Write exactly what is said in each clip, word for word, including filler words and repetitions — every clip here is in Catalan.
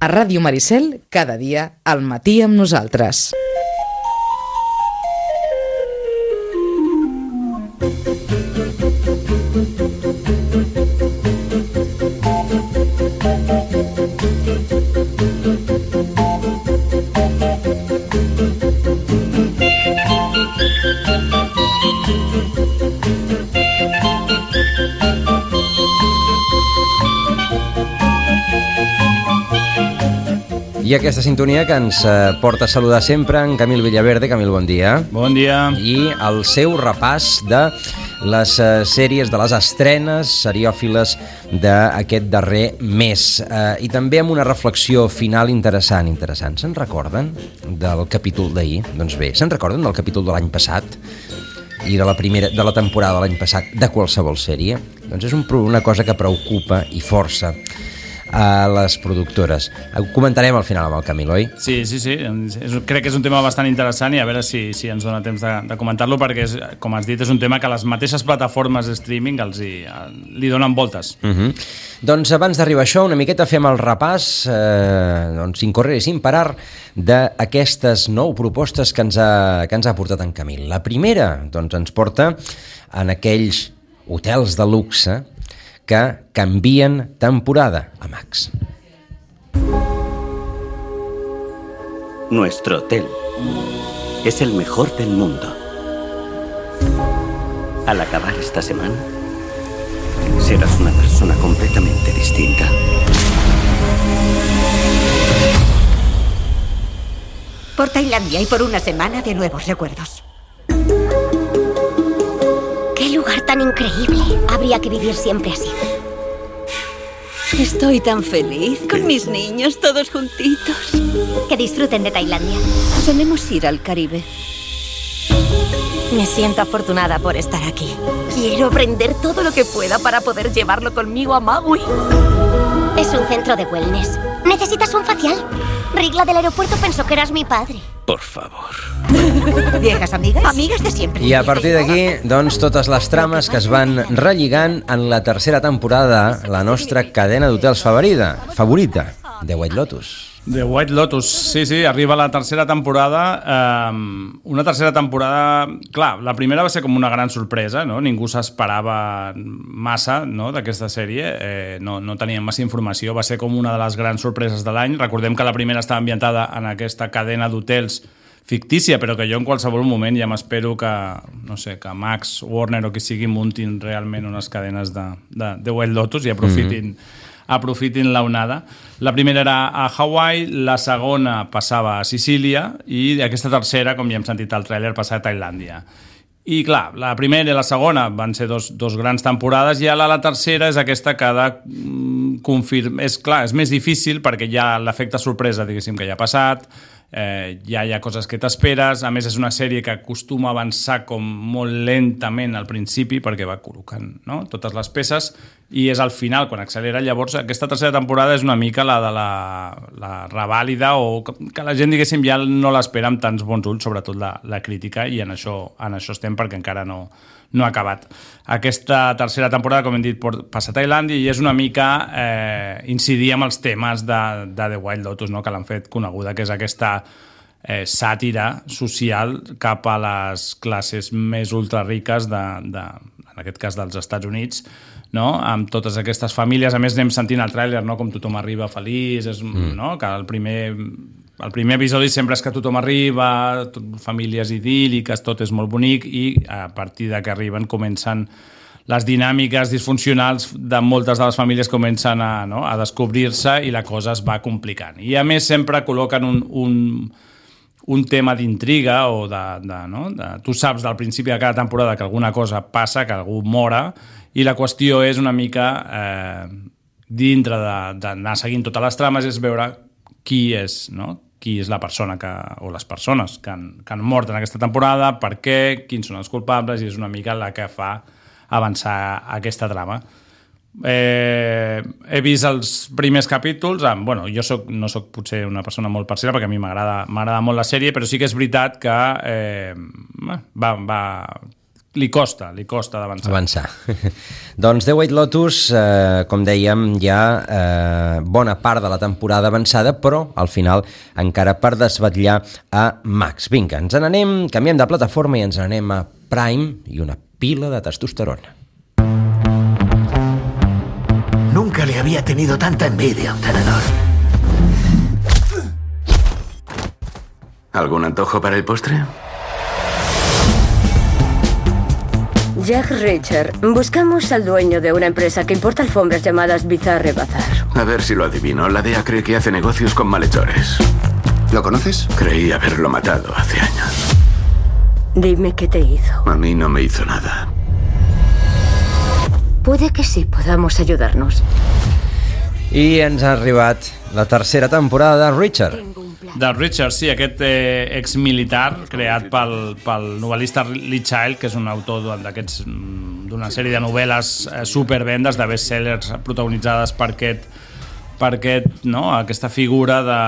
A Ràdio Maricel, cada dia, al matí amb nosaltres. I aquesta sintonia que ens porta a saludar sempre en Camil Villaverde. Camil, bon dia. Bon dia. I el seu repàs de les sèries, de les estrenes seriòfiles d'aquest darrer mes. I també amb una reflexió final interessant. interessant. Se'n recorden del capítol d'ahir? Doncs bé, se'n recorden del capítol de l'any passat? I de la primera de la temporada de l'any passat de qualsevol sèrie? Doncs és un, una cosa que preocupa i força a les productores. Ho comentarem al final amb el Camil, oi? Sí, sí, sí. És, crec que és un tema bastant interessant i a veure si, si ens dona temps de, de comentar-lo, perquè, és, com has dit, és un tema que les mateixes plataformes de streaming els hi, li donen voltes. Uh-huh. Doncs abans d'arribar a això, una miqueta fem el repàs, eh, doncs, sin correr i sin parar, d'aquestes nou propostes que ens, ha, que ens ha portat en Camil. La primera, doncs, ens porta en aquells hotels de luxe que canvien temporada a Max. Nuestro hotel es el mejor del mundo. Al acabar esta semana, serás una persona completamente distinta. Por Tailandia y por una semana de nuevos recuerdos. ¡Qué lugar tan increíble! Habría que vivir siempre así. Estoy tan feliz con mis niños todos juntitos. Que disfruten de Tailandia. Solemos ir al Caribe. Me siento afortunada por estar aquí. Quiero aprender todo lo que pueda para poder llevarlo conmigo a Maui. Es un centro de wellness. ¿Necesitas un facial? Rigla del aeropuerto pensó que eras mi padre. Por favor. ¿Viejas amigas? Amigas de siempre. I a partir d'aquí, doncs, totes les trames que es van relligant en la tercera temporada, la nostra cadena d'hotels favorita, favorita, The White Lotus. The White Lotus, sí, sí, arriba la tercera temporada. Eh, una tercera temporada... Clar, la primera va ser com una gran sorpresa, no? Ningú s'esperava massa, no?, d'aquesta sèrie. Eh, no, no teníem massa informació. Va ser com una de les grans sorpreses de l'any. Recordem que la primera estava ambientada en aquesta cadena d'hotels fictícia, però que jo en qualsevol moment ja m'espero que, no sé, que Max, Warner o qui sigui muntin realment unes cadenes de, de, de White Lotus i aprofitin... Mm-hmm. aprofitin la onada. La primera era a Hawaii, la segona passava a Sicília i aquesta tercera, com ja hem sentit al tràiler, passava a Tailàndia. I clar, la primera i la segona van ser dos, dos grans temporades i ara la tercera és aquesta que ha de confirmar... És clar, és més difícil perquè ja l'efecte sorpresa, diguéssim, que ja ha passat, eh, ja hi ha coses que t'esperes, a més és una sèrie que acostuma a avançar com molt lentament al principi perquè va col·locant, no?, totes les peces i és al final quan accelera. Llavors aquesta tercera temporada és una mica la de la, la revàlida o que, que la gent, diguéssim, ja no l'espera amb tants bons ulls, sobretot la, la crítica, i en això, en això estem perquè encara no, no ha acabat. Aquesta tercera temporada, com hem dit, passa a Tailàndia i és una mica eh, incidir amb els temes de, de The White Lotus, no?, que l'han fet coneguda, que és aquesta eh, sàtira social cap a les classes més ultrariques de, de, en aquest cas dels Estats Units, no?, amb totes aquestes famílies. A més anem sentint el tràiler, no?, com tothom arriba feliç, és, mm. no?, que el primer, el primer episodi sempre és que tothom arriba, tot, famílies idíl·liques, tot és molt bonic i a partir de que arriben comencen les dinàmiques disfuncionals de moltes de les famílies comencen a, no?, a descobrir-se i la cosa es va complicant. I a més sempre col·loquen un, un, un tema d'intriga o de, de, no?, de, tu saps del principi de cada temporada que alguna cosa passa, que algú mora, i la qüestió és una mica eh, dintre d'anar seguint totes les trames és veure qui és, no?, qui és la persona que, o les persones que han, que han mort en aquesta temporada, per què, quins són els culpables, i és una mica la que fa avançar aquesta trama. Eh, he vist els primers capítols, eh, bueno, jo soc, no soc potser una persona molt parcial perquè a mi m'agrada m'agrada molt la sèrie, però sí que és veritat que eh, va, va, li costa, li costa d'avançar. Avançar. Doncs The White Lotus, eh, com dèiem, ja eh, bona part de la temporada avançada, però al final encara per desvetllar a Max. Vinga, ens n'anem, canviem de plataforma i ens n'anem a Prime i una pila de testosterona. Nunca le había tenido tanta envidia a un tenedor. ¿Algún antojo para el postre? Jack Reacher, buscamos al dueño de una empresa que importa alfombras llamadas Bizarre Bazar. A ver si lo adivino. La D E A cree que hace negocios con malhechores. ¿Lo conoces? Creí haberlo matado hace años. Dime qué te hizo. A mí no me hizo nada. Puede que sí podamos ayudarnos. I ens ha arribat la tercera temporada de Reacher. De Richard, sí, aquest eh, exmilitar creat pel, pel novel·lista Lee Child, que és un autor d'aquests d'una sèrie de novel·les eh, supervendes, de bestsellers protagonitzades per aquest, per aquest, no? aquesta figura de,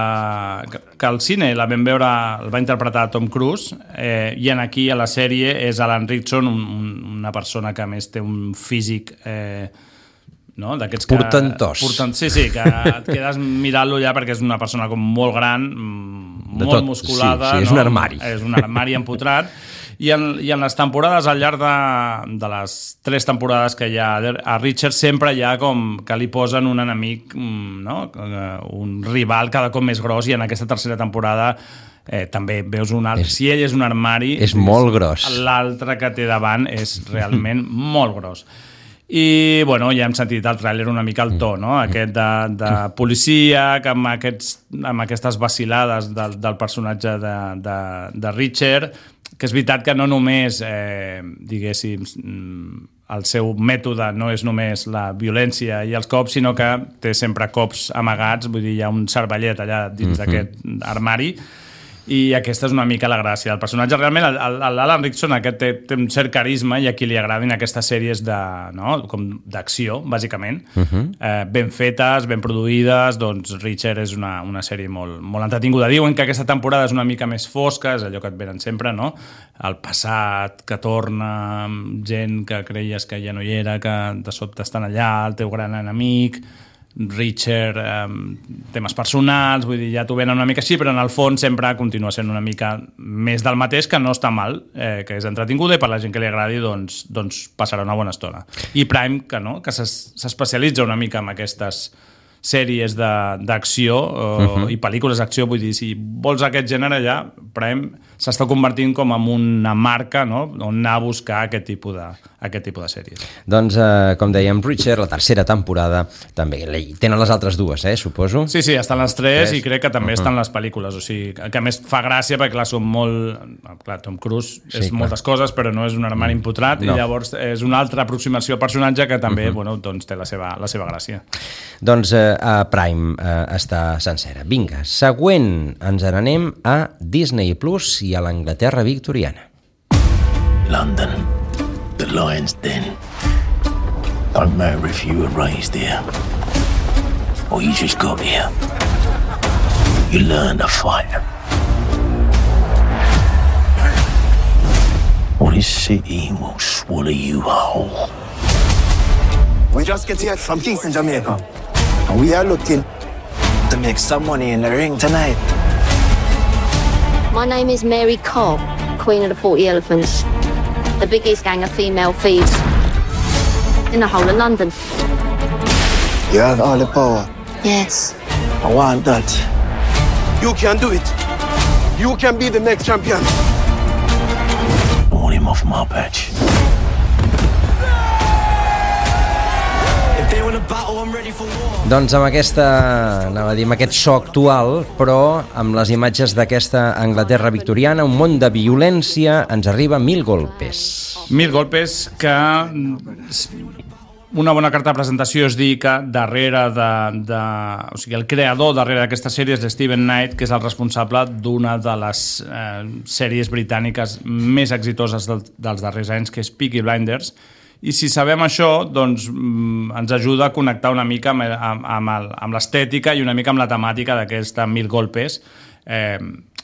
que, que al cine la vam veure, el va interpretar Tom Cruise, eh, i en aquí a la sèrie és Alan Ritchson, un, un, una persona que a més té un físic eh, no? d'aquests que... Portentós. Portent, sí, sí, que et quedes mirant-lo ja perquè és una persona com molt gran, de molt tot, musculada. Sí, sí, és no? un armari. És un armari empotrat. I en, I en les temporades, al llarg de, de les tres temporades que hi ha a Richard, sempre hi ha com que li posen un enemic, no? un rival cada cop més gros, i en aquesta tercera temporada eh, també veus un altre. És, si ell és un armari... És molt gros. L'altre que té davant és realment molt gros. I, bueno, ja hem sentit el tràiler una mica al to, no? Aquest de, de policia, que amb, aquests, amb aquestes vacil·lades del, del personatge de, de, de Richard, que és veritat que no només, eh, diguéssim, el seu mètode no és només la violència i els cops, sinó que té sempre cops amagats, vull dir, hi ha un cervellet allà dins mm-hmm. d'aquest armari, i aquesta és una mica la gràcia del personatge. Realment l'Alan Ritchson aquest té, té un cert carisma, i a qui li agradin aquestes sèries de, no? com d'acció, bàsicament, uh-huh. eh, ben fetes, ben produïdes. Doncs Richard és una, una sèrie molt, molt entretinguda. Diuen que aquesta temporada és una mica més fosca, és allò que et venen sempre, no? El passat que torna, gent que creies que ja no hi era, que de sobte estan allà, el teu gran enemic... Richard, eh, temes personals, vull dir, ja t'ho venen una mica així, però en el fons sempre continua sent una mica més del mateix, que no està mal, eh, que és entretinguda, i per la gent que li agradi doncs, doncs passarà una bona estona. I Prime, que no, que s'especialitza una mica en aquestes sèries d'acció uh, uh-huh. i pel·lícules d'acció, vull dir, si vols aquest gènere ja, Prime s'està convertint com en una marca, no?, on anar a buscar aquest tipus de, aquest tipus de sèries. Doncs, eh, com dèiem, Richard, la tercera temporada també. Tenen les altres dues, eh, suposo? Sí, sí, estan les tres, tres. I crec que també uh-huh. estan les pel·lícules, o sigui, que a més fa gràcia perquè, clar, són molt... Clar, Tom Cruise és sí, moltes coses, però no és un armari empotrat, no. I llavors és una altra aproximació al personatge que també, uh-huh. bueno, doncs té la seva, la seva gràcia. Doncs eh, a Prime eh, està sencera. Vinga, següent, ens n'anem a Disney Plus i a l'Anglaterra victoriana. London, the Lion's Den. Don't matter if you were raised here or you just got here. You learn to fight. Or this city will swallow you whole. We just get here from Kingston, Jamaica. And we are looking to make some money in the ring tonight. My name is Mary Cobb, Queen of the Forty Elephants. The biggest gang of female thieves in the whole of London. You have all the power. Yes. I want that. You can do it. You can be the next champion. I want him off my patch. Doncs amb aquesta, anava a dir, amb aquest so actual, però amb les imatges d'aquesta Anglaterra victoriana, un món de violència, ens arriba Mil Golpes. Mil Golpes, que una bona carta de presentació és dir que darrere de, de... O sigui, el creador darrere d'aquesta sèrie és Steven Knight, que és el responsable d'una de les eh, sèries britàniques més exitoses del, dels darrers anys, que és Peaky Blinders. I si sabem això, doncs ens ajuda a connectar una mica amb, amb, amb l'estètica i una mica amb la temàtica d'aquesta Mil Golpes, eh,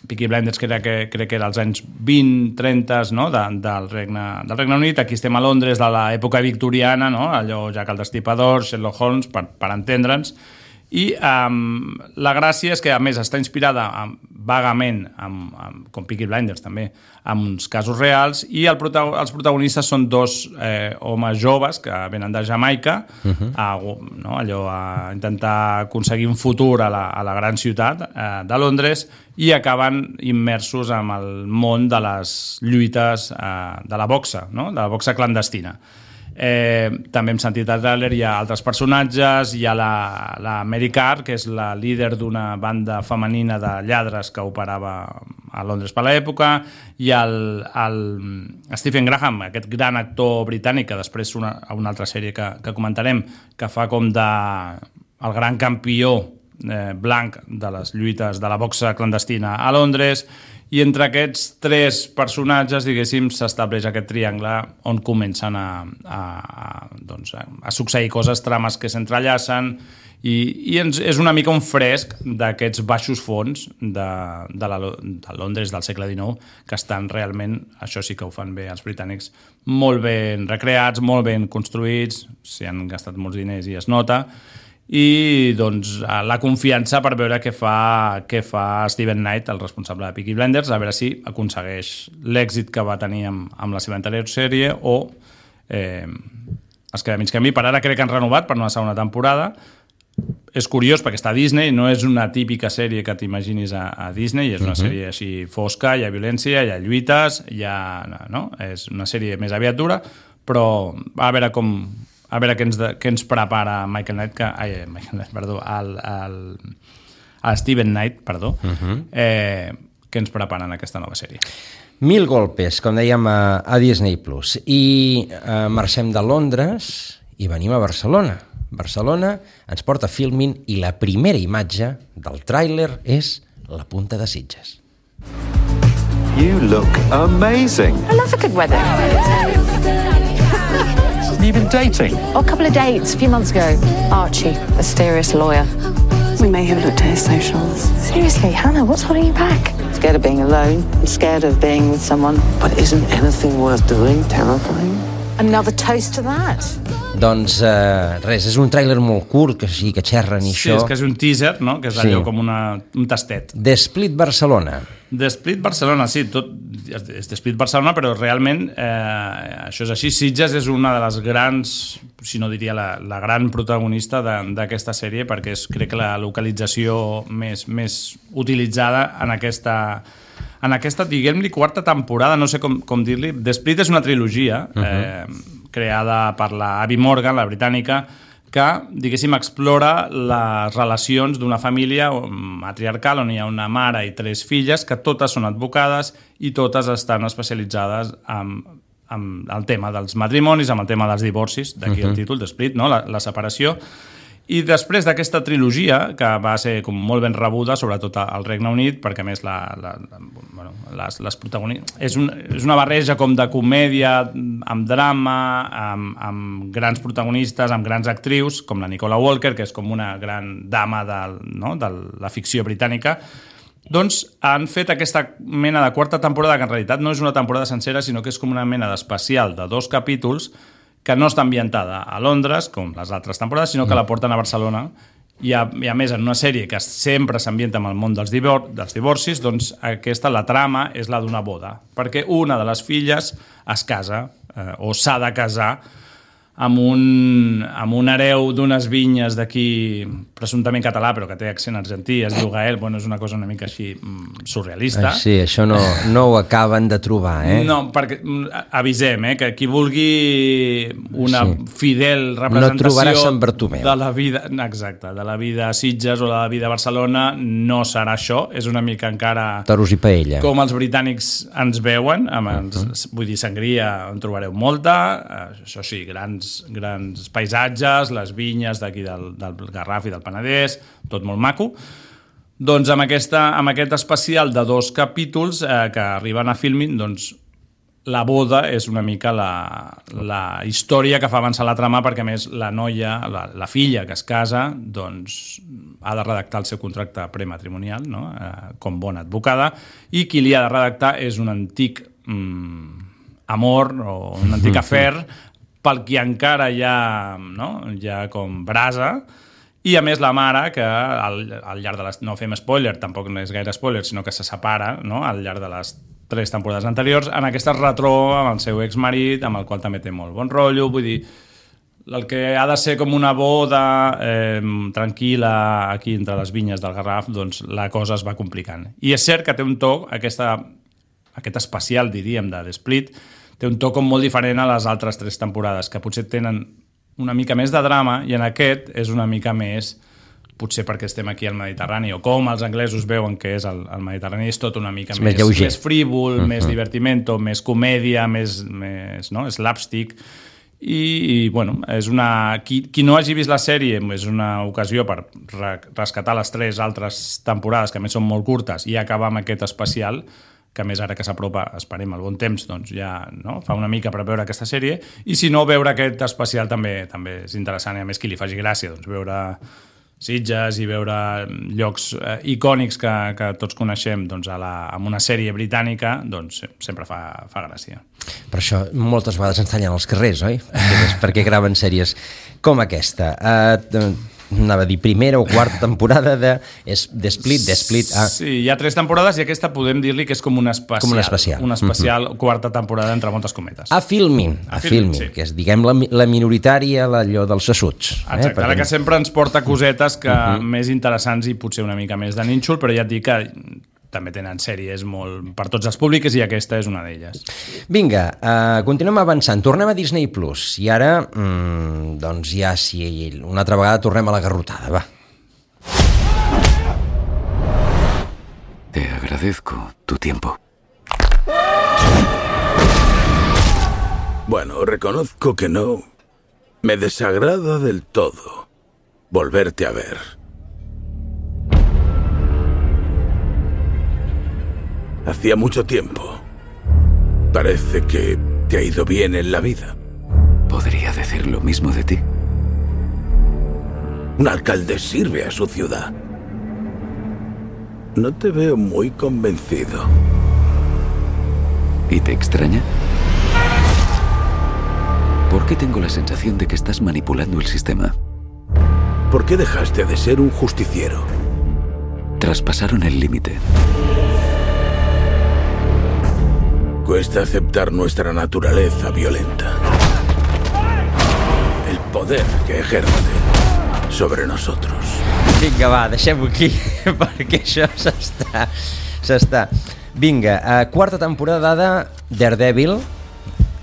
Peaky Blinders crec que, crec que era als anys vint trenta, no? de, del, Regne, del Regne Unit. Aquí estem a Londres de l'època victoriana, no? Allò Jack el Destripador, Sherlock Holmes, per, per entendre'ns. I um, la gràcia és que, a més, està inspirada um, vagament, amb, amb, com Peaky Blinders també, amb uns casos reals, i el prota els protagonistes són dos eh, homes joves que venen de Jamaica, uh-huh. a, no, allò, a intentar aconseguir un futur a la, a la gran ciutat eh, de Londres, i acaben immersos en el món de les lluites eh, de la boxa, no? De la boxa clandestina. Eh, també hem sentit al tràiler, hi ha altres personatges, hi ha la, la Mary Carr, que és la líder d'una banda femenina de lladres que operava a Londres per l'època, hi ha el, el Stephen Graham, aquest gran actor britànic, que després una, una altra sèrie que, que comentarem, que fa com de el gran campió eh, blanc de les lluites de la boxa clandestina a Londres. I entre aquests tres personatges, diguéssim, s'estableix aquest triangle on comencen a, a, a, doncs, a succeir coses, trames que s'entrellacen, i, i ens, és una mica un fresc d'aquests baixos fons de, de, la, de Londres del segle dinou, que estan realment, això sí que ho fan bé els britànics, molt ben recreats, molt ben construïts, s'hi han gastat molts diners i es nota, i doncs la confiança per veure què fa, què fa Steven Knight, el responsable de Peaky Blinders, a veure si aconsegueix l'èxit que va tenir amb, amb la seva anterior sèrie o eh, es queda mig camí. Per ara crec que han renovat per una segona temporada. És curiós perquè està a Disney, no és una típica sèrie que t'imaginis a, a Disney, és una uh-huh. sèrie així fosca, hi ha violència, hi ha lluites, hi ha, no? És una sèrie més aviat dura, però a veure com a veure què ens, de, què ens prepara Michael Knight, que, ai, Michael Knight, perdó, el, el, el Steven Knight, perdó, uh-huh. eh, què ens prepara en aquesta nova sèrie. Mil golpes, com dèiem, a, a Disney Plus. I eh, marxem de Londres i venim a Barcelona. Barcelona ens porta Filmin i la primera imatge del tràiler és la punta de Sitges. You look amazing. I love a good weather. You've been dating? Oh, a couple of dates a few months ago. Archie, mysterious lawyer. We may have looked at his socials. Seriously, Hannah, what's holding you back? Scared of being alone. I'm scared of being with someone. But isn't anything worth doing terrifying? Another toast to that. Doncs eh, res, és un tràiler molt curt, que sí que xerren i sí, això. Sí, és que és un teaser, no? Que és allò sí. com una, un tastet. The Split Barcelona. The Split Barcelona, sí, tot és The Split Barcelona, però realment eh, això és així. Sitges és una de les grans, si no diria la, la gran protagonista d'aquesta sèrie, perquè és, crec que la localització més, més utilitzada en aquesta, en aquesta, diguem-li, quarta temporada, no sé com, com dir-li. The Split és una trilogia, uh-huh. eh, creada per la Abby Morgan, la britànica, que, diguéssim, explora les relacions d'una família matriarcal on hi ha una mare i tres filles que totes són advocades i totes estan especialitzades en, en el tema dels matrimonis, en el tema dels divorcis, d'aquí uh-huh. el títol, The Split, no? la, la separació. I després d'aquesta trilogia, que va ser com molt ben rebuda, sobretot al Regne Unit, perquè a més la, la, la, bueno, les, les protagonistes... És, un, és una barreja com de comèdia amb drama, amb, amb grans protagonistes, amb grans actrius, com la Nicola Walker, que és com una gran dama de, no, de la ficció britànica. Doncs han fet aquesta mena de quarta temporada, que en realitat no és una temporada sencera, sinó que és com una mena d'especial de dos capítols que no està ambientada a Londres, com les altres temporades, sinó que la porten a Barcelona. I a, i a més, en una sèrie que sempre s'ambienta amb el món dels, divor dels divorcis, doncs aquesta, la trama, és la d'una boda, perquè una de les filles es casa, eh, o s'ha de casar, amb un, amb un hereu d'unes vinyes d'aquí, presumptament català, però que té accent argentí, es diu Gael, bueno, és una cosa una mica així surrealista. Ai, sí, això no, no ho acaben de trobar, eh? No, perquè avisem, eh, que qui vulgui una sí. fidel representació no trobarà Sant Bartomeu. De la vida, exacte, de la vida a Sitges o de la vida a Barcelona, no serà això, és una mica encara... Toros i paella. Com els britànics ens veuen, amb els, uh-huh. vull dir, sangria en trobareu molta, això sí, grans grans paisatges, les vinyes d'aquí del, del Garraf i del Penedès, tot molt maco. Doncs amb, aquesta, amb aquest especial de dos capítols eh, que arriben a Filmin, doncs la boda és una mica la, la història que fa avançar la trama, perquè a més la noia, la, la filla que es casa, doncs ha de redactar el seu contracte prematrimonial, no? eh, com bona advocada, i qui li ha de redactar és un antic mm, amor o un antic afer pel qui encara hi ha, no? hi ha com brasa, i a més la mare, que al, al llarg de les... no fem spoiler, tampoc no és gaire spoiler, sinó que se separa, no? al llarg de les tres temporades anteriors, en aquesta es retroba amb el seu exmarit, amb el qual també té molt bon rotllo, vull dir, el que ha de ser com una boda eh, tranquil·la aquí entre les vinyes del Garraf, doncs la cosa es va complicant. I és cert que té un toc, aquesta, aquest especial, diríem, de The Split, té un toc com molt diferent a les altres tres temporades, que potser tenen una mica més de drama, i en aquest és una mica més, potser perquè estem aquí al Mediterrani, o com els anglesos veuen que és el, el Mediterrani, és tot una mica és més, més, més frívol, uh-huh. més divertimento, més comèdia, més, més no? slapstick, i, i bueno, és una... Qui, qui no hagi vist la sèrie és una ocasió per re, rescatar les tres altres temporades, que a més són molt curtes, i acabar amb aquest especial, que a més ara que s'apropa, esperem el bon temps, doncs ja no? fa una mica per veure aquesta sèrie, i si no, veure aquest especial també també és interessant, i a més qui li faci gràcia, doncs veure Sitges i veure llocs eh, icònics que, que tots coneixem doncs, a la, amb una sèrie britànica, doncs sempre fa, fa gràcia. Per això moltes vegades ens tallen els carrers, oi? Perquè, perquè graven sèries com aquesta. Uh, anava a dir primera o quarta temporada de The Split, The Split. Ah. Sí, hi ha tres temporades i aquesta podem dir-li que és com una especial. Com una especial. Una especial uh-huh. quarta temporada, entre moltes cometes. A Filmin, a, a Filmin, sí. Que és, diguem, la, la minoritària, allò dels assuts. Exacte, eh? Perquè... ara que sempre ens porta cosetes que uh-huh. més interessants i potser una mica més de nínxol, però ja et dic que també tenen sèries molt per tots els públics i aquesta és una d'elles. Vinga, uh, continuem avançant. Tornem a Disney Plus i ara, mm, doncs ja sí, una altra vegada tornem a la garrotada, va. Te agradezco tu tiempo. Bueno, reconozco que no. Me desagrada del todo volverte a ver. Hacía mucho tiempo. Parece que te ha ido bien en la vida. Podría decir lo mismo de ti. Un alcalde sirve a su ciudad. No te veo muy convencido. ¿Y te extraña? ¿Por qué tengo la sensación de que estás manipulando el sistema? ¿Por qué dejaste de ser un justiciero? Traspasaron el límite. Cuesta aceptar nuestra naturaleza violenta. El poder que ejerce sobre nosotros. Vinga, va, deixem-ho aquí, perquè això s'està... s'està. Vinga, uh, quarta temporada de Daredevil,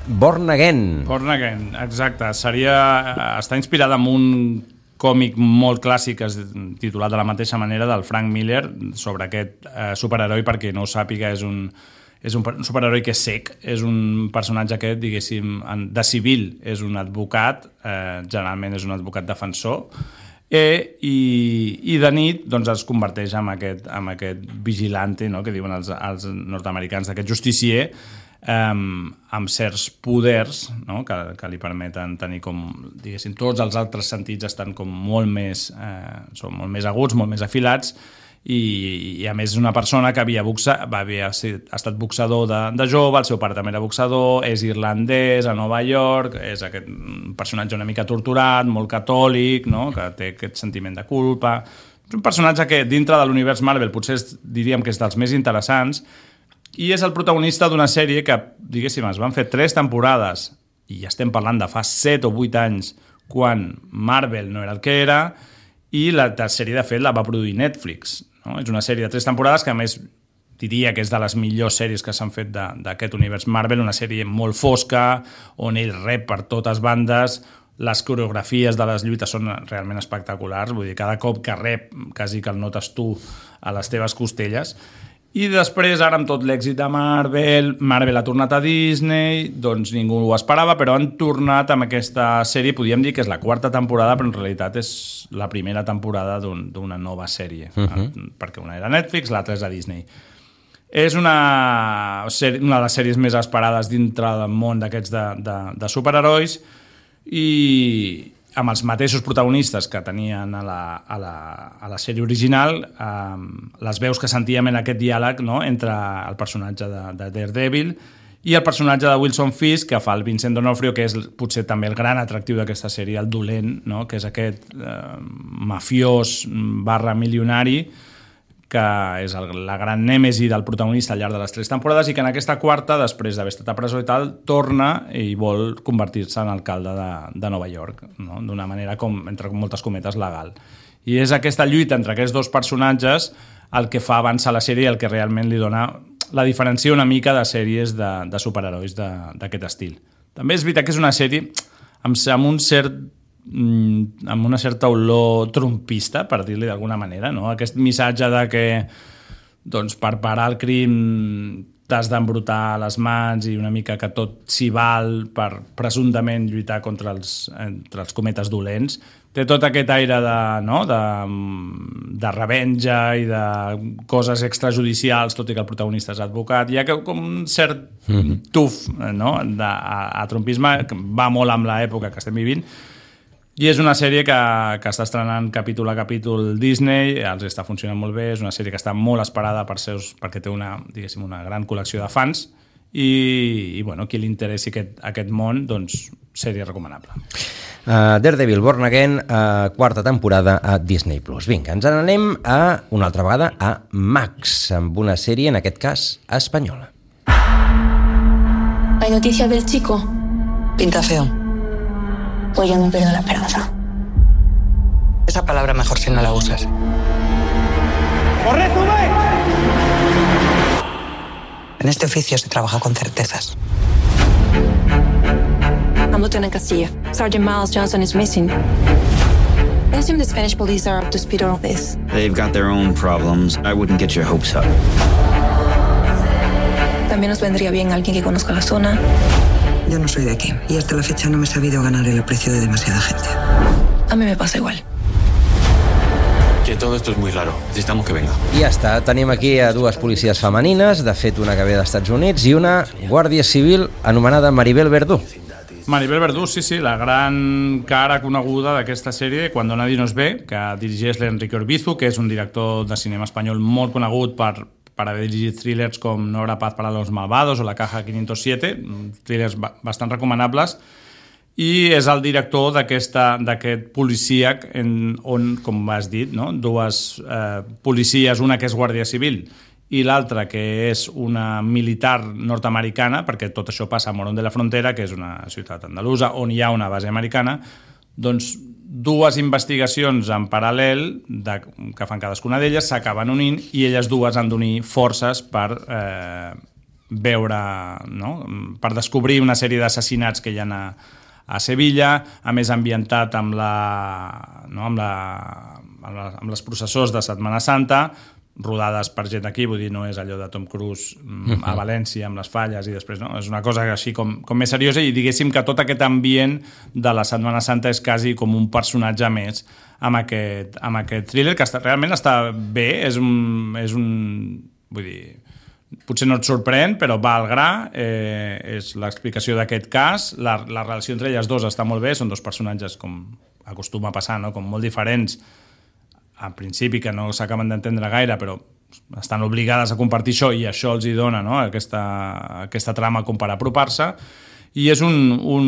Born Again. Born Again, exacte. Seria... està inspirada en un còmic molt clàssic titulat de la mateixa manera del Frank Miller sobre aquest uh, superheroi, perquè no ho sàpiga, és un... és un superheroi que és cec, és un personatge que, diguéssim, de civil és un advocat, eh, generalment és un advocat defensor, eh, i, i de nit doncs, es converteix en aquest, en aquest vigilante, no?, que diuen els, els nord-americans, d'aquest justicier, eh, amb certs poders, no?, que, que li permeten tenir com, diguéssim, tots els altres sentits estan com molt més, eh, són molt més aguts, molt més afilats, I, i a més és una persona que havia, boxa, va haver ha estat boxador de, de jove, el seu pare també era boxador, és irlandès, a Nova York, és aquest personatge una mica torturat, molt catòlic, no?, que té aquest sentiment de culpa. És un personatge que dintre de l'univers Marvel potser és, diríem que és dels més interessants, i és el protagonista d'una sèrie que, diguéssim, es van fer tres temporades, i estem parlant de fa set o vuit anys, quan Marvel no era el que era, i la sèrie, de fet, la va produir Netflix. No? És una sèrie de tres temporades que, a més, diria que és de les millors sèries que s'han fet d'aquest univers Marvel, una sèrie molt fosca, on ell rep per totes bandes, les coreografies de les lluites són realment espectaculars, vull dir, cada cop que rep, quasi que el notes tu a les teves costelles. I després, ara amb tot l'èxit de Marvel, Marvel ha tornat a Disney, doncs ningú ho esperava, però han tornat amb aquesta sèrie, podríem dir que és la quarta temporada, però en realitat és la primera temporada d'una nova sèrie, uh-huh. perquè una era Netflix, l'altra és a Disney. És una, una de les sèries més esperades dintre del món d'aquests de, de, de superherois i amb els mateixos protagonistes que tenien a la, a la, a la sèrie original, eh, les veus que sentíem en aquest diàleg, no?, entre el personatge de, de Daredevil i el personatge de Wilson Fisk, que fa el Vincent D'Onofrio, que és potser també el gran atractiu d'aquesta sèrie, el dolent, no?, que és aquest eh, mafiós barra milionari, que és el, la gran nèmesi del protagonista al llarg de les tres temporades i que en aquesta quarta, després d'haver estat a presó i tal, torna i vol convertir-se en alcalde de, de Nova York, no?, d'una manera, com, entre moltes cometes, legal. I és aquesta lluita entre aquests dos personatges el que fa avançar la sèrie i el que realment li dona la diferència una mica de sèries de, de superherois d'aquest estil. També és veritat que és una sèrie amb, amb un cert amb una certa olor trumpista, per dir-li d'alguna manera, no? Aquest missatge de que doncs, per parar el crim t'has d'embrutar les mans i una mica que tot s'hi val per presumptament lluitar contra els, entre els cometes dolents. Té tot aquest aire de, no? de, de revenja i de coses extrajudicials, tot i que el protagonista és advocat. Hi ha com un cert tuf, no? de, a, a trumpisme que va molt amb l'època que estem vivint. I és una sèrie que, que està estrenant capítol a capítol Disney, els està funcionant molt bé, és una sèrie que està molt esperada per seus, perquè té una, diguéssim, una gran col·lecció de fans i, i bueno, qui li interessi aquest, aquest món, doncs sèrie recomanable. Uh, Daredevil Born Again, uh, quarta temporada a Disney plus. Vinga, ens n'anem a, una altra vegada a Max, amb una sèrie, en aquest cas, espanyola. ¿Hay noticia del chico? Pinta feo. Pues yo no pierdo la esperanza. Esa palabra mejor si no la usas. ¡Corre, sube! En este oficio se trabaja con certezas. I'm Lieutenant Castilla. Sergeant Miles Johnson is missing. I assume the Spanish police are up to speed on all this. They've got their own problems. I wouldn't get your hopes up. También nos vendría bien alguien que conozca la zona. Yo no soy de aquí y hasta la fecha no me he sabido ganar el aprecio de demasiada gente. A mí me pasa igual. Que todo esto es muy raro. Necesitamos que venga. I ja està. Tenim aquí a dues policies femenines, de fet una que ve dels Estats Units, i una guàrdia civil anomenada Maribel Verdú. Maribel Verdú, sí, sí, la gran cara coneguda d'aquesta sèrie, Cuando nadie nos ve, que dirigeix l'Enrique Orbizu, que és un director de cinema espanyol molt conegut per per haver dirigit thrillers com No habrá paz para los malvados o La caja quinientos siete, thrillers bastant recomanables, i és el director d'aquest policíac en, on, com has dit, no? dues eh, policies, una que és guàrdia civil i l'altra que és una militar nord-americana, perquè tot això passa a Morón de la Frontera, que és una ciutat andalusa on hi ha una base americana, doncs dues investigacions en paral·lel de, que fan cadascuna d'elles s'acaben unint i elles dues han d'unir forces per eh, veure, no? per descobrir una sèrie d'assassinats que hi ha a, a Sevilla, a més ambientat amb, la, no? amb, la, amb, la, amb les processors de Setmana Santa, rodades per gent aquí, vull dir, no és allò de Tom Cruise a València amb les falles i després, no? És una cosa així com, com més seriosa i diguéssim que tot aquest ambient de la Setmana Santa és quasi com un personatge més amb aquest, amb aquest thriller que està, realment està bé, és un, és un vull dir, potser no et sorprèn, però va al gra, eh, és l'explicació d'aquest cas, la, la relació entre elles dos està molt bé, són dos personatges com acostuma a passar, no? Com molt diferents en principi, que no s'acaben d'entendre gaire, però estan obligades a compartir això i això els hi dona, no? aquesta, aquesta trama com per apropar-se. I és un, un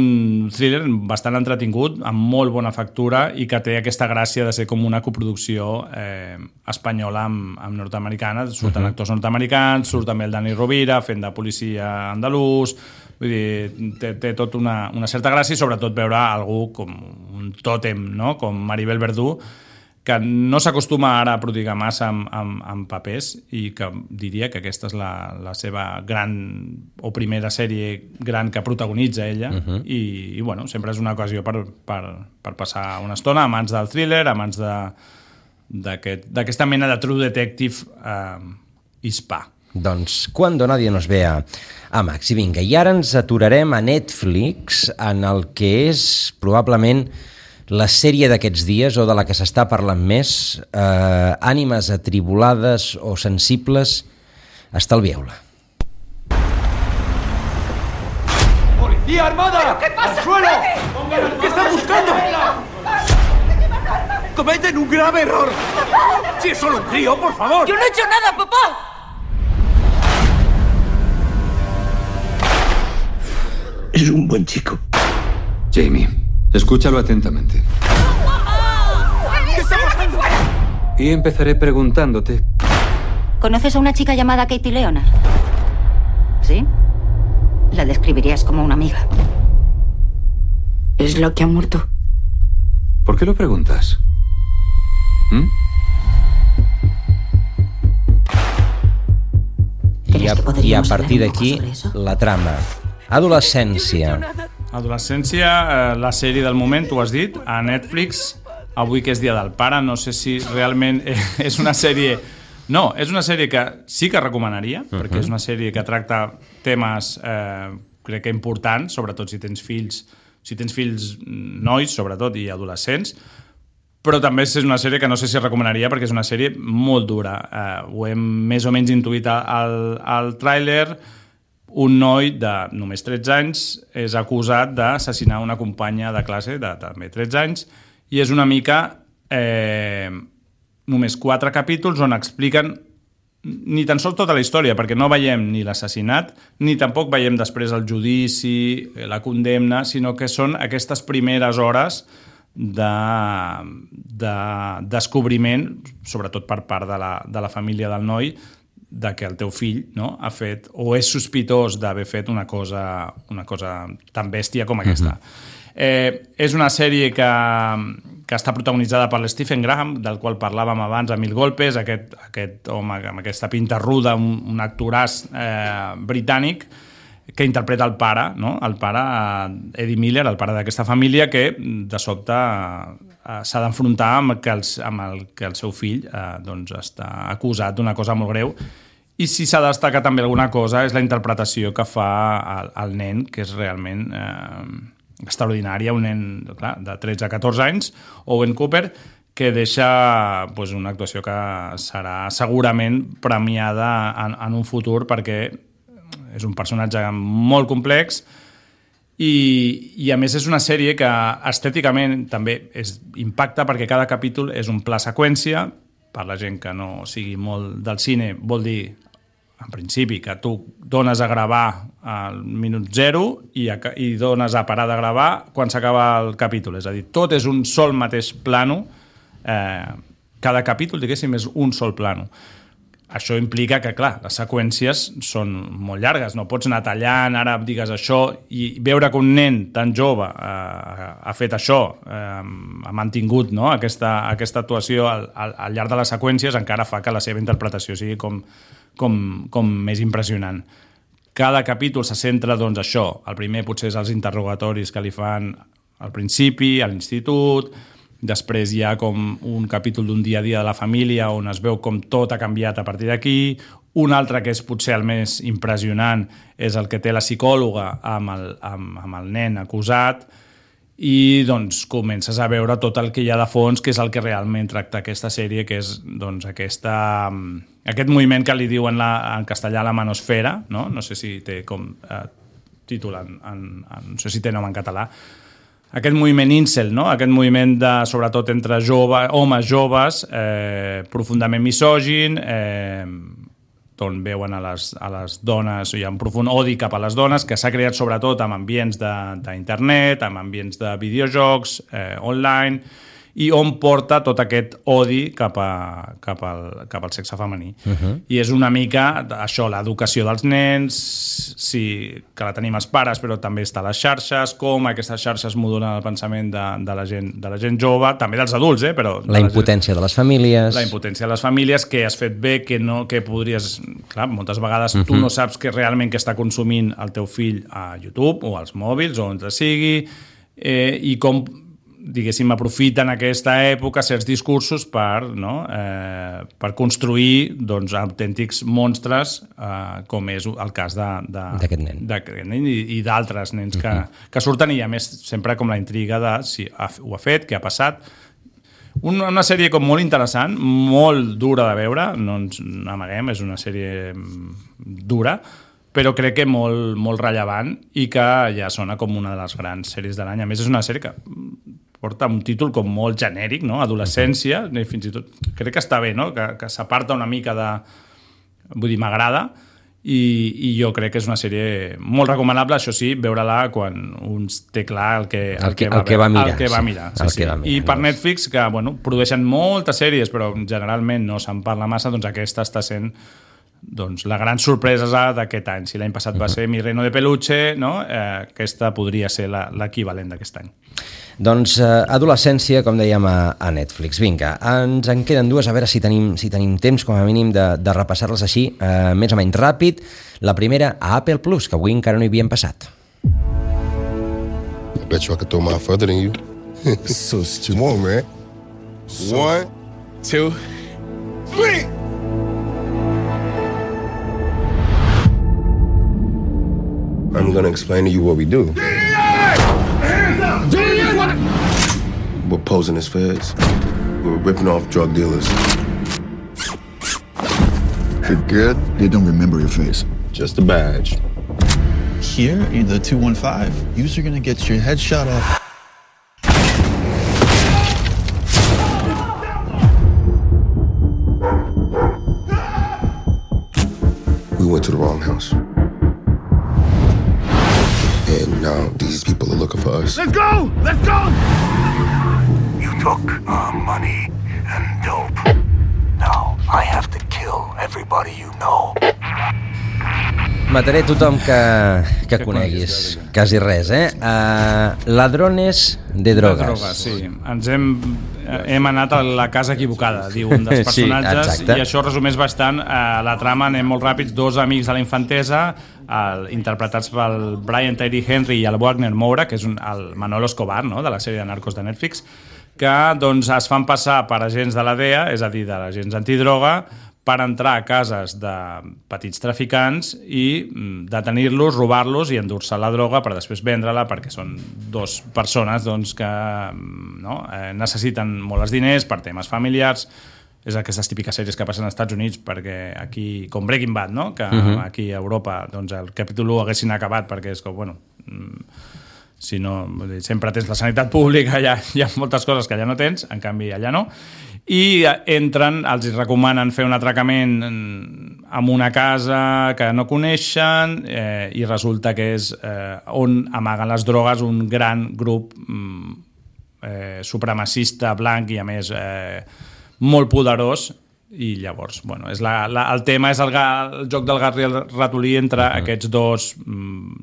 thriller bastant entretingut, amb molt bona factura i que té aquesta gràcia de ser com una coproducció eh, espanyola amb, amb nord-americana. Surten uh-huh. actors nord-americans, surt també el Dani Rovira fent de policia andalús. Vull dir, té, té tot una, una certa gràcia i sobretot veure algú com un tòtem, no? Com Maribel Verdú, que no s'acostuma ara a prodigar massa amb, amb, amb papers i que diria que aquesta és la, la seva gran o primera sèrie gran que protagonitza ella uh-huh. i, i bueno, sempre és una ocasió per, per, per passar una estona a mans del thriller, a mans d'aquesta aquest, mena de true detective eh, hispà. Doncs Cuando nadie nos vea a Max. I vinga, i ara ens aturarem a Netflix en el que és probablement la sèrie d'aquests dies o de la que s'està parlant més, eh, ànimes atribulades o sensibles Estalvieu-la. ¡Policía armada! ¿Pero qué pasa? ¡Al suelo! ¿Qué están buscando? ¡Cometen un grave error! ¡Si es solo un crío, por favor! ¡Yo no he hecho nada, papá! Es un buen chico. Jamie, escúchalo atentamente. ¿Qué está pasando? Y empezaré preguntándote. ¿Conoces a una chica llamada Katie Leonard? ¿Sí? La describirías como una amiga. Es la que ha muerto. ¿Por qué lo preguntas? ¿Mm? I a, i a partir d'aquí, la trama. Adolescència. Adolescència, eh, la sèrie del moment, tu has dit, a Netflix, avui que és Dia del Pare, no sé si realment és una sèrie... No, és una sèrie que sí que recomanaria, uh-huh. perquè és una sèrie que tracta temes, eh, crec que importants, sobretot si tens fills, si tens fills nois, sobretot, i adolescents, però també és una sèrie que no sé si recomanaria perquè és una sèrie molt dura. Eh, ho hem més o menys intuït al, al tràiler. Un noi de només tretze anys és acusat d'assassinar una companya de classe de també tretze anys i és una mica eh, només quatre capítols on expliquen ni tan sols tota la història, perquè no veiem ni l'assassinat, ni tampoc veiem després el judici, la condemna, sinó que són aquestes primeres hores de, de descobriment, sobretot per part de la, de la família del noi, de que el teu fill, no, ha fet o és sospitós d'haver fet una cosa, una cosa tan bèstia com aquesta. Uh-huh. Eh, és una sèrie que, que està protagonitzada per l'Stephen Graham, del qual parlàvem abans, a Mil Golpes, aquest, aquest home amb aquesta pinta ruda, un, un actoràs eh, britànic, que interpreta el pare, no? el pare Eddie Miller, el pare d'aquesta família, que de sobte eh, s'ha d'enfrontar amb, que els, amb el que el seu fill eh, doncs està acusat d'una cosa molt greu. I si s'ha de destacar també alguna cosa és la interpretació que fa el, el nen, que és realment eh, extraordinària, un nen clar, de tretze a catorze anys, Owen Cooper, que deixa pues, una actuació que serà segurament premiada en, en un futur perquè és un personatge molt complex i, i a més és una sèrie que estèticament també és, impacta perquè cada capítol és un pla seqüència. Per la gent que no sigui molt del cine vol dir, en principi, que tu dones a gravar al minut zero i, a, i dones a parar de gravar quan s'acaba el capítol. És a dir, tot és un sol mateix plano. Eh, cada capítol, diguéssim, és un sol plano. Això implica que, clar, les seqüències són molt llargues, no pots anar tallant, ara digues això, i veure que un nen tan jove eh, ha fet això, eh, ha mantingut no, aquesta, aquesta actuació al, al, al llarg de les seqüències, encara fa que la seva interpretació sigui com, com, com més impressionant. Cada capítol se centra, doncs, això. El primer potser és els interrogatoris que li fan al principi, a l'institut. Després hi ha com un capítol d'un dia a dia de la família on es veu com tot ha canviat a partir d'aquí. Un altre que és potser el més impressionant és el que té la psicòloga amb el, amb, amb el nen acusat i doncs comences a veure tot el que hi ha de fons, que és el que realment tracta aquesta sèrie, que és doncs, aquesta, aquest moviment que li diuen la, en castellà la manosfera, no? No sé si té com eh, títol, en, en, en, no sé si té nom en català. Aquest moviment incel, no? Aquest moviment de, sobretot entre jove, homes joves, eh, profundament misògin, eh, on veuen a les, a les dones, hi ha un profund odi cap a les dones, que s'ha creat sobretot amb ambients d'internet, amb ambients de videojocs, eh, online, i on porta tot aquest odi cap, a, cap, al, cap al sexe femení. Uh-huh. I és una mica això, l'educació dels nens, sí, que la tenim els pares, però també està a les xarxes, com aquestes xarxes modulen el pensament de, de, la gent, de la gent jove, també dels adults, eh? Però la impotència de, de les famílies. La impotència de les famílies, que has fet bé, que, no, que podries... Clar, moltes vegades uh-huh. tu no saps que realment que està consumint el teu fill a YouTube o als mòbils o on sigui, eh, i com diguéssim, aprofiten aquesta època certs discursos per, no, eh, per construir doncs, autèntics monstres, eh, com és el cas d'aquest nen, nen i, i d'altres nens que, uh-huh. que surten, i a més sempre com la intriga de si ha, ho ha fet, què ha passat. Una, una sèrie com molt interessant, molt dura de veure, no ens amaguem, és una sèrie dura, però crec que molt, molt rellevant i que ja sona com una de les grans sèries de l'any. A més, és una sèrie que porta un títol com molt genèric, no? Adolescència, fins i tot crec que està bé, no? Que, que s'aparta una mica de... Vull dir, m'agrada, i, i jo crec que és una sèrie molt recomanable, això sí, veure-la quan un té clar el que, el, el que, que, va, el que va mirar. El que va mirar, sí, el sí. que va mirar I per doncs. Netflix, que bueno, produeixen moltes sèries, però generalment no se'n parla massa, doncs aquesta està sent doncs, la gran sorpresa d'aquest any. Si l'any passat va ser Mi Reino de Peluche, no? eh, aquesta podria ser l'equivalent d'aquest any. Doncs eh, adolescència, com dèiem, a, a Netflix. Vinga, ens en queden dues, a veure si tenim, si tenim temps, com a mínim, de, de repassar-les així, eh, més o menys ràpid. La primera, a Apple Plus, que avui encara no hi havíem passat. I bet you I could throw mine further than you. So, come on, man. One, two, three! I'm gonna explain to you what we do. We're posing as feds. We're ripping off drug dealers. You're good? They don't remember your face. Just a badge. Here in the two one five, you're gonna get your head shot off. We went to the wrong house. And now these people are looking for us. Let's go! Let's go! You took our money and dope. Now I have to kill everybody you know. Mataré tothom que, que coneguis. Quasi res, eh? Uh, ladrones de drogues. De drogues, sí. Ens hem, hem anat a la casa equivocada, diu un dels personatges, sí, i això resumeix bastant uh, la trama. Anem molt ràpids. Dos amics de la infantesa, uh, interpretats pel Brian Tyree Henry i el Wagner Moura, que és un, el Manolo Escobar, no?, de la sèrie de Narcos de Netflix, que doncs, es fan passar per agents de la D E A, és a dir, de l'agents antidroga, per entrar a cases de petits traficants i detenir-los, robar-los i endur-se la droga per després vendre-la, perquè són dos persones doncs, que no, eh, necessiten molt els diners per temes familiars. És aquestes típiques sèries que passen als Estats Units, perquè aquí, com Breaking Bad, no? Que uh-huh. aquí a Europa doncs, el capítol u haguessin acabat, perquè és com, bueno... si no, sempre tens la sanitat pública, hi ha, hi ha moltes coses que allà no tens, en canvi allà no, i entren, els recomanen fer un atracament en una casa que no coneixen, eh, i resulta que és eh, on amaguen les drogues un gran grup eh, supremacista, blanc i a més eh, molt poderós. I llavors, bueno, és la, la, el tema és el, el joc del gat i el ratolí entre uh-huh. aquests dos,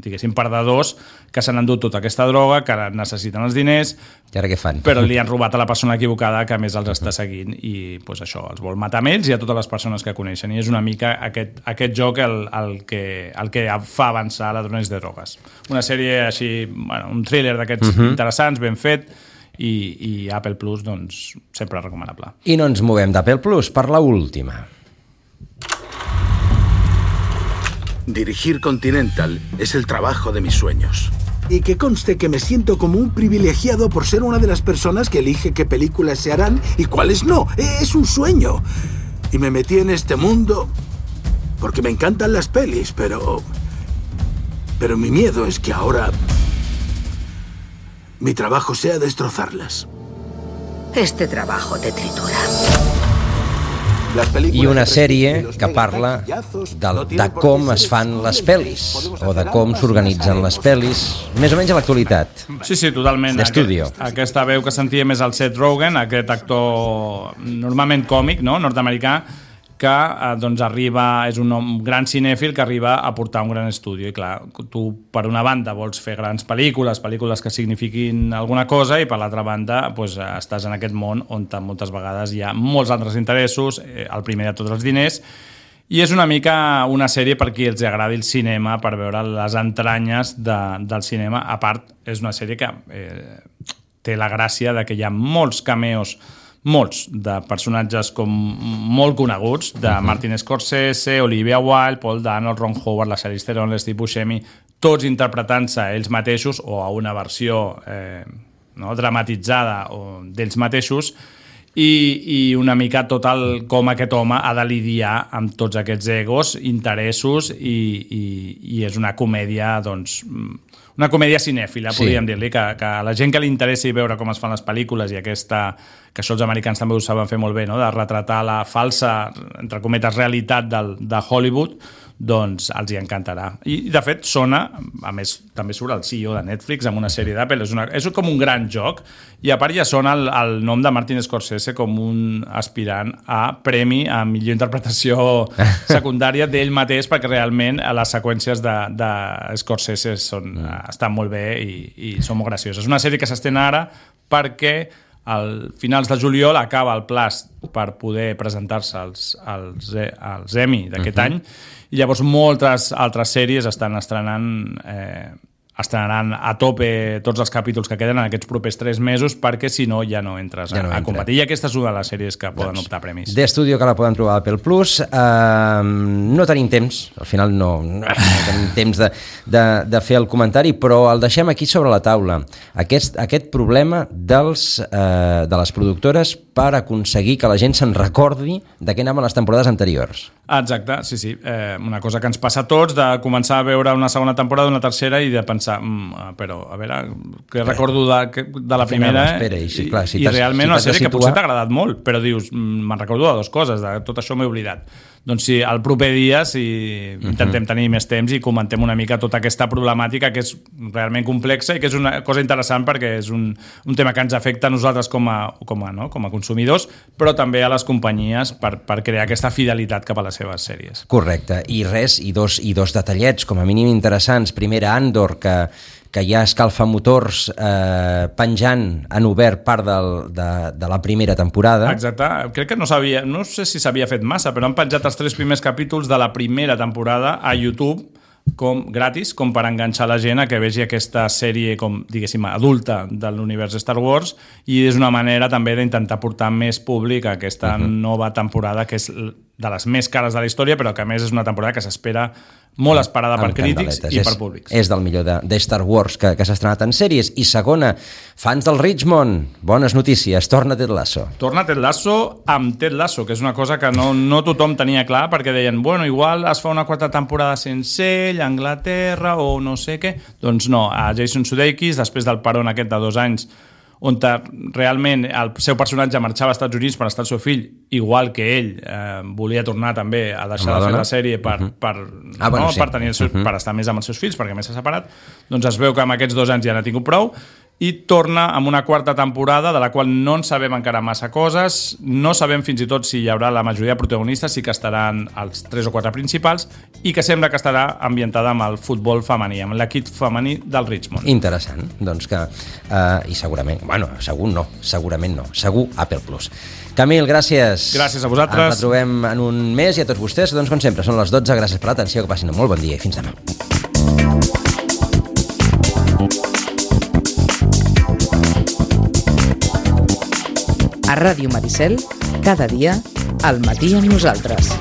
diguéssim, perdedors que s'han endut tota aquesta droga, que necessiten els diners, i ara què fan? Però li han robat a la persona equivocada que a més els uh-huh. està seguint i pues, això, els vol matar a ells i a totes les persones que coneixen, i és una mica aquest, aquest joc el, el, que, el que fa avançar Ladrones de Drogues. Una sèrie així, bueno, un thriller d'aquests uh-huh. interessants, ben fet, I, i Apple Plus, doncs, sempre recomanable. I no ens movem d'Apple Plus per la última. Dirigir Continental es el trabajo de mis sueños. Y que conste que me siento como un privilegiado por ser una de las personas que elige qué películas se harán y cuáles no. Es un sueño. Y me metí en este mundo porque me encantan las pelis, pero... Pero mi miedo es que ahora... mi trabajo sea destrozarlas. Este trabajo te tritura. I una sèrie que parla de, de com es fan les pel·lis o de com s'organitzen les pel·lis, més o menys a l'actualitat. Sí, sí, totalment. D'estudio. Aquest, aquesta veu que sentia més el Seth Rogen, aquest actor normalment còmic, no?, nord-americà, que eh, doncs arriba, és un gran cinèfil que arriba a portar un gran estudi. I clar, tu per una banda vols fer grans pel·lícules, pel·lícules que signifiquin alguna cosa, i per l'altra banda doncs, estàs en aquest món on moltes vegades hi ha molts altres interessos, eh, el primer de tots els diners, i és una mica una sèrie per qui els agradi el cinema, per veure les entranyes de, del cinema. A part, és una sèrie que eh, té la gràcia de que hi ha molts cameos, molts de personatges com molt coneguts, de uh-huh. Martin Scorsese, Olivia Wilde, Paul Dano, Ron Howard, la Charlize Theron, Steve Buscemi, tots interpretant-se ells mateixos o a una versió eh, no, dramatitzada o d'ells mateixos, i, i una mica tot el com aquest home ha de lidiar amb tots aquests egos, interessos i, i, i és una comèdia, doncs, una comèdia cinèfila, sí. podríem dir-li, que, que a la gent que li interessi veure com es fan les pel·lícules i aquesta, que això els americans també ho saben fer molt bé, no? De retratar la falsa, entre cometes, realitat del, de Hollywood, doncs els hi encantarà. I, de fet, sona, a més, també surt el C E O de Netflix amb una sèrie d'Apple, és, una, és com un gran joc, i a part ja sona el, el nom de Martin Scorsese com un aspirant a premi a millor interpretació secundària d'ell mateix, perquè realment les seqüències de, de Scorsese són, estan molt bé i, i són molt gracioses. És una sèrie que s'estén ara perquè al finals de juliol acaba el plaç per poder presentar-se als, als, als Emmy d'aquest uh-huh. any, i llavors moltes altres sèries estan estrenant eh, estrenaran a tope tots els capítols que queden en aquests propers tres mesos, perquè si no ja no entres ja no a, a competir. I aquesta és una de les sèries que poden doncs, optar a premis. The Studio, que la poden trobar a Apple Plus. Uh, no tenim temps, al final no, no, no tenim temps de, de, de fer el comentari, però el deixem aquí sobre la taula. Aquest, aquest problema dels, uh, de les productores per aconseguir que la gent se'n recordi de què anaven les temporades anteriors. Exacte, sí, sí. Eh, una cosa que ens passa a tots, de començar a veure una segona temporada, una tercera, i de pensar, mm, però a veure, què recordo de, de la primera, eh? Espera, i, sí, clar, si i realment si una sèrie situar... que potser t'ha agradat molt, però dius, me'n recordo de dues coses, de tot això m'he oblidat. Doncs sí, el proper dia, si intentem tenir més temps i comentem una mica tota aquesta problemàtica que és realment complexa i que és una cosa interessant perquè és un, un tema que ens afecta a nosaltres com a, com a, no? com a consumidors, però també a les companyies per, per crear aquesta fidelitat cap a les seves sèries. Correcte, i res, i dos, i dos detallets com a mínim interessants. Primera, Andor, que que ja escalfa motors eh, penjant en obert part del, de, de la primera temporada. Exacte, crec que no sabia, no sé si s'havia fet massa, però han penjat els tres primers capítols de la primera temporada a YouTube com gratis, com per enganxar la gent a que vegi aquesta sèrie com, diguéssim, adulta de l'univers Star Wars, i és una manera també d'intentar portar més públic a aquesta uh-huh. nova temporada, que és de les més cares de la història, però que a més és una temporada que s'espera molt esperada per crítics i és, per públics. És del millor de, de Star Wars que, que s'ha estrenat en sèries. I segona, fans del Richmond, bones notícies, torna Ted Lasso. Torna Ted Lasso amb Ted Lasso, que és una cosa que no, no tothom tenia clar, perquè deien, bueno, igual es fa una quarta temporada sense ell, a Anglaterra, o no sé què. Doncs no, a Jason Sudeikis, després del peron aquest de dos anys, on realment el seu personatge marxava als Estats Units per estar el seu fill, igual que ell eh, volia tornar també a deixar de fer la sèrie per, uh-huh. per, ah, bueno, no, sí. per, tenir el seu, uh-huh. per estar més amb els seus fills, perquè més s'ha separat, doncs es veu que amb aquests dos anys ja n'ha tingut prou, i torna amb una quarta temporada de la qual no en sabem encara massa coses, no sabem fins i tot si hi haurà la majoria de protagonistes, sí que estaran els tres o quatre principals, i que sembla que estarà ambientada amb el futbol femení, amb l'equip femení del Richmond. Interessant, doncs que, uh, i segurament, bueno, segur no, segurament no, segur Apple Plus. Camil, gràcies. Gràcies a vosaltres. Ens trobem en un mes, i a tots vostès, doncs com sempre, són les dotze, gràcies per l'atenció, que passin un molt bon dia i fins demà. A Ràdio Maricel, cada dia, al matí amb nosaltres.